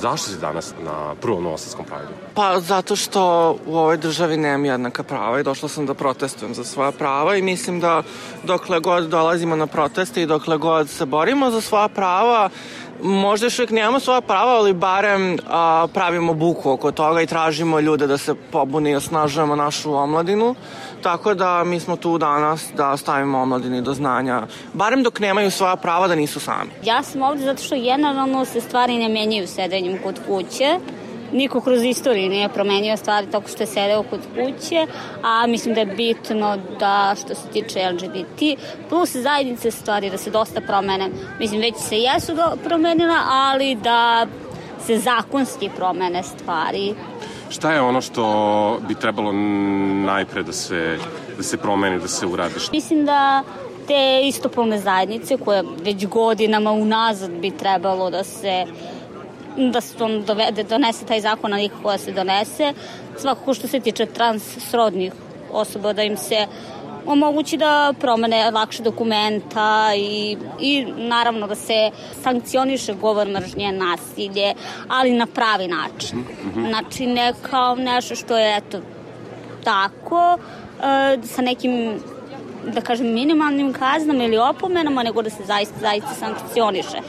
Zašto si danas na prvom Novosadskom Prideu? Pa zato što u ovoj državi nemam jednaka prava i došla sam da protestujem za svoja prava i mislim da dokle god dolazimo na proteste i dokle god se borimo za svoja prava, možda još uvijek nemamo svoja prava, ali barem pravimo buku oko toga i tražimo ljude da se pobune i osnažujemo našu omladinu. Tako da mi smo tu danas da stavimo omladini do znanja, barem dok nemaju svoja prava, da nisu sami. Ja sam ovde zato što generalno se stvari ne menjaju sedenjem kod kuće. Niko kroz istoriju nije promenio stvari tako što je sedeo kod kuće, a mislim da je bitno da što se tiče LGBT plus zajednice stvari da se dosta promene. Mislim, već se jesu promenila, ali da se zakonski promene stvari. Šta je ono što bi trebalo najpre da se promeni, da se uradi? Mislim da te istopolne zajednice koje već godinama unazad bi trebalo da se donese taj zakon, a nikako da se donese. Svakako što se tiče transsrodnih osoba, da im se omogući da promene lakše dokumenta i naravno da se sankcioniše govor mržnje, nasilje, ali na pravi način. Znači ne kao nešto što je eto tako, sa nekim da kažem minimalnim kaznama ili opomenama, nego da se zaista sankcioniše.